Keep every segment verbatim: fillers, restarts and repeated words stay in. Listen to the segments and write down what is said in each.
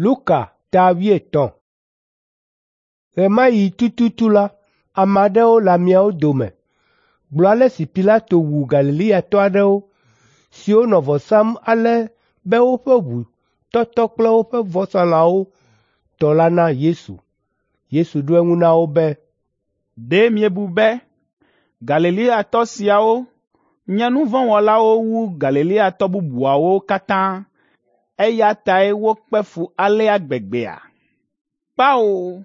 Luka ta wuietɔ̃. Ɣe ma ɣi tututu la, ame aɖewo le ameawo dome gblɔ ale si Pilato wu Galileatɔ aɖewo siwo nɔ vɔ sam ale be woƒe ʋu tɔtɔ kple woƒe vɔsalãwo tɔ la na Yesu. Yesu ɖo eŋu na wo be, “Ɖe miebu be Galileatɔ siawo nye nu vɔ̃ wɔlawo wu Galileatɔ bubuawo katã, eya tae wokpe fu alea gbegbea? Kpao,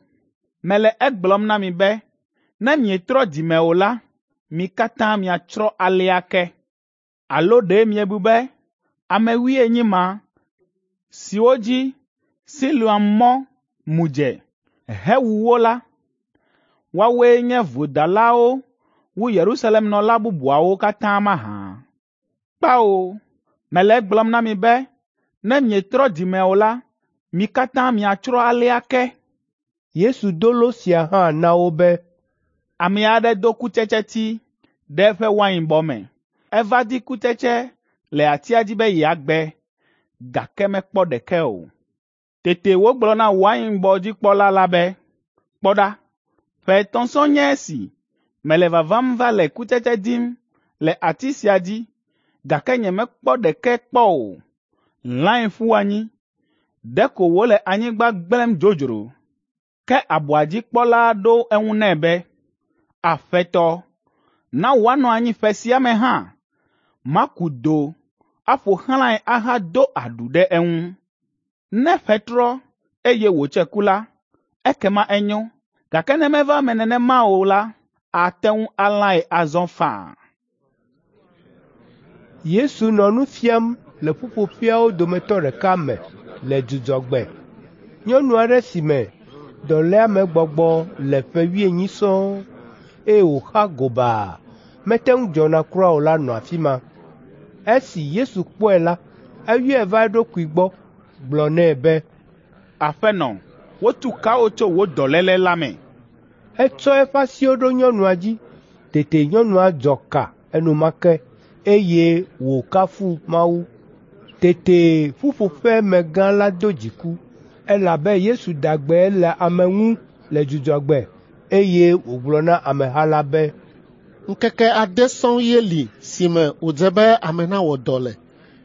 mele egblɔm na mi be ne mietrɔ dzi me o la, mi katã miatsrɔ̃ alea ke. Alo ɖe miebu be ame wuienyi ma siwo dzi Siloam mɔ mu dze hewu wo la, woawoe nye vodalawo wu Yerusalemnɔla bubuawo katã mahã? Kpao, mele egblɔm na mi be ne mietrɔ dzi me o la, mi katã miatsrɔ̃ alea ke.” Yesu do lo sia hã na wo be, “Ame aɖe do kutsetseti ɖe eƒe wainbɔ me. Eva di kutsetse le atia dzi be yeagbe, gake mekpɔ ɖeke o. Tete wògblɔ na wainbɔdzikpɔla la be, ‘Kpɔ ɖa, ƒe etɔ̃ sɔŋ nye esi mele vavam va le kutsetse dim le ati sia dzi, gake nyemekpɔ ɖeke kpɔ o. Lãe ƒu anyi, ɖeko wòle anyigba gblẽm dzodzro.’ Ke abɔa dzi kpɔla ɖo eŋu nɛ be, ‘Aƒetɔ, na wòanɔ anyi ƒe sia me hã, maku do aƒo xlãe ahado aɖu ɖe eŋu. Ne ƒe trɔ, eye wòtse ku la, ekema enyo, gake ne meva eme nenema o la, ate ŋu alãe azɔ faa.’ Yesu nɔ nu fiam le ƒuƒoƒeawo dometɔ ɖeka me le Dzudzɔgbe. Nyɔnu aɖe si me dɔléamegbɔgbɔ le ƒe wuienyi sɔŋ, eye wòxa gobaa, mete ŋu dzɔna kura o la nɔ afi ma. Esi Yesu kpɔe la, eyɔe va eɖokui gbɔ, gblɔ nɛ be, “Aƒenɔ, wotu ka wò tso wò dɔléle la me.” Etsɔ eƒe asiwo ɖo nyɔnua dzi. Tete nyɔnua dzɔ ka enumake, eye wòkafu Mawu. Tete ƒuƒoƒemegã la do dziku, elabe Yesu da gbe le ame ŋu le Dzudzɔgbe, eye wògblɔ na ameha la be, “Ŋkeke ade sɔŋ ye li si me wòdze be ame nawɔ dɔ le.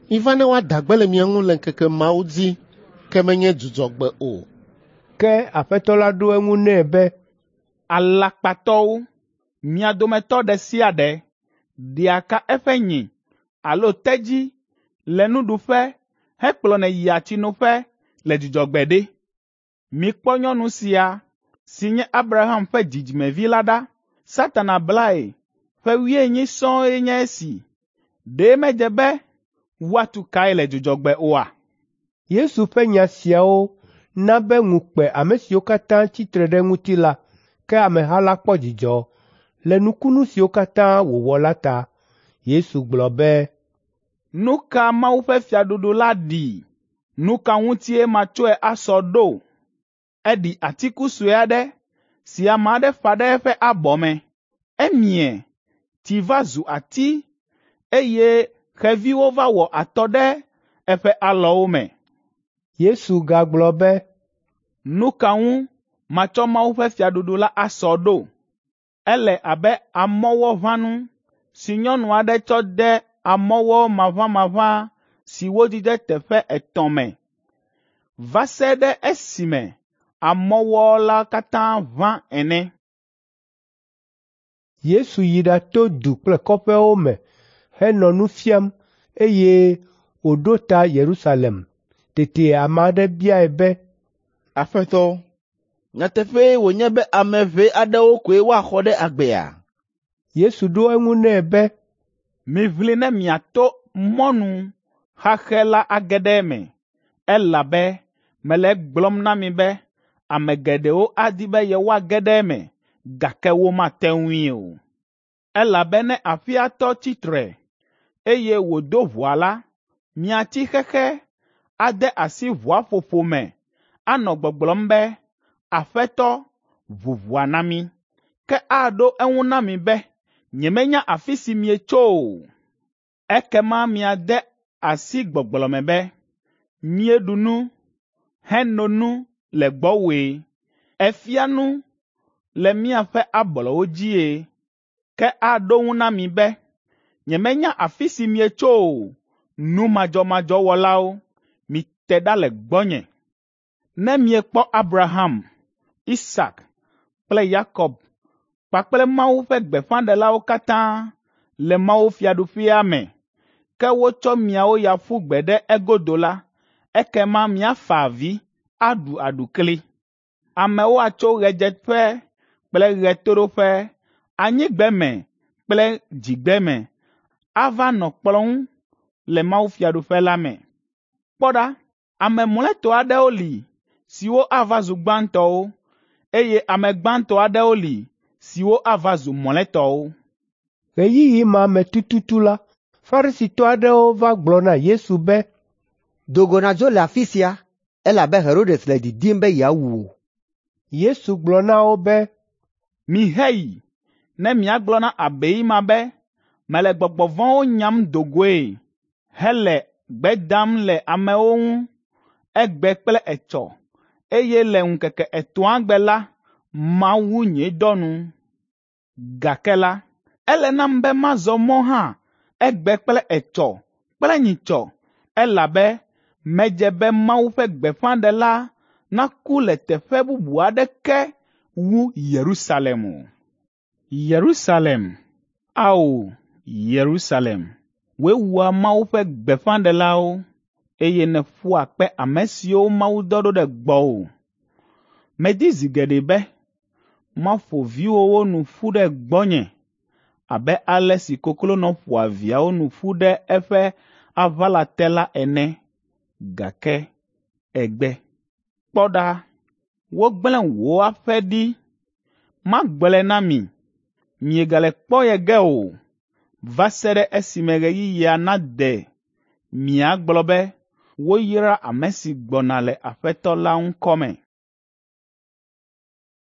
Miva ne woada gbe le mia ŋu le ŋkeke mawo dzi, ke menye Dzudzɔgbe o.” Ke Aƒetɔ la ɖo eŋu nɛ be, “Alakpatɔwo, mia dometɔ ɖe sia ɖe ɖea ka eƒe nyi alo tedzi le nuɖuƒe hekplɔnɛ yia tsinoƒe le Dzudzɔgbe ɖe. Mikpɔ nyɔnu sia si nye Abraham ƒe dzidzimevi la ɖa. Satana blae ƒe wuienyi sɔŋ nye esi. Ɖe medze be woatu kae le Dzudzɔgbe oa?” Yesu ƒe nya siawo na be ŋu kpe ame siwo katã tsi tre ɖe eŋuti la, ke ameha la kpɔ dzidzɔ le nukunu siwo katã wòwɔ la ta. Yesu gblɔ be, “Nu ka Mawu ƒe fiaɖuɖu la ɖi? Nu ka ŋutie matsɔe asɔ ɖo? Eɖi atiku sue aɖe si ame aɖe ƒã ɖe eƒe abɔ me. Emie, tsi va zu ati, eye xeviwo va wɔ atɔ ɖe eƒe alɔwo me.” Yesu gagblɔ be, “Nu ka ŋu matsɔ Mawu ƒe fiaɖuɖu la asɔ ɖo? Ele abe amɔwɔʋãnu si nyɔnu aɖe tsɔ de amɔwɔ maʋamaʋã si wodzidze teƒe etɔ̃ me va se ɖe esime amɔwɔ la katã ʋã ene.” Yesu yi ɖato du kple kɔƒewo me henɔ nu fiam, eye wòɖo ta Yerusalem. Tete ame aɖe biae be, “Aƒetɔ, nyateƒee wònye be ame ʋɛ aɖewo koe woaxɔ ɖe agbea?” Yesu ɖo eŋu nɛ be, “Miʋli ne miato mɔnu xaxɛ la age ɖe eme, elabe mele egblɔm na mi be ame geɖewo adi be yewoage ɖe eme, gake womate ŋui o. Elabe ne aƒea tɔ tsi tre, eye wòdo ʋɔa la, miatsi xexe ade asi ʋɔa ƒoƒo me anɔ gbɔgblɔm be, ‘Aƒetɔ, ʋu ʋɔa na mí.’ Ke aɖo eŋu na mi be, ‘Nyemenya afi si mietso o.’ Ekema miade asi gbɔgblɔ me be, ‘Míeɖu nu, heno nu le gbɔwòe. Èfia nu le míaƒe ablɔwo dzie.’ Ke aɖo ŋu na mi be, ‘Nyemenya afi si mietso o, nu madzɔmadzɔ wɔlawo, mite ɖa le gbɔnye.’ Ne miekpɔ Abraham, Isak kple Yakob kpakple Mawu ƒe gbeƒãɖelawo katã le mawufiaɖuƒea me, ke wotsɔ miawo ya ƒu gbe ɖe egodo la, ekema miafa avi, aɖu aɖukli. Amewo atso ɣedzeƒe kple ɣetoɖoƒe, anyigbeme kple dzigbeme ava nɔ kplɔ̃ ŋu le mawufiaɖuƒe la me. Kpɔ ɖa, ame mlɔetɔ aɖewo li siwo ava zu gbãtɔwo, eye ame gbãtɔ aɖewo li siwo ava zu mlɔetɔwo. Ɣeyiɣi ma me tututu la, Farisitɔ aɖewo va gblɔ na Yesu be, “Do go nàdzo le afi sia, elabe Herodes le didim be yeawu wò.” Yesu gblɔ na wo be, “Miheyi ne miagblɔ na abei ma be mele gbɔgbɔ vɔ̃wo nyam do goe hele gbe dam le amewo ŋu egbe kple etsɔ, eye le ŋkeke etɔ̃a gbe la, mawu nye dɔ nu. Gake la, ele nam be mazɔ mɔ hã egbe kple etsɔ kple nyitsɔ, elabe medze be Mawu ƒe gbeƒãɖela naku le teƒe bubu aɖeke wu Yerusalem o. Yerusalem, ao Yerusalem, wòe wua Mawu ƒe gbeƒãɖelawo, eye nèƒua kpe ame siwo Mawu dɔ ɖo ɖe gbɔwò. Medi zi geɖe be maƒo viwòwo nu ƒu ɖe gbɔnye abe ale si koklonɔ ƒoa viawo nu ƒu ɖe eƒe aʋala te la ene, gake ègbe. Kpɔ ɖa, wogblẽ wò aƒe ɖi. Magblɔe na mi, miegale kpɔ ye ge o, va se ɖe esime ɣeyiɣia nade miagblɔ be, ‘Woyra ame si gbɔna le Aƒetɔ la ŋkɔ me.’ ”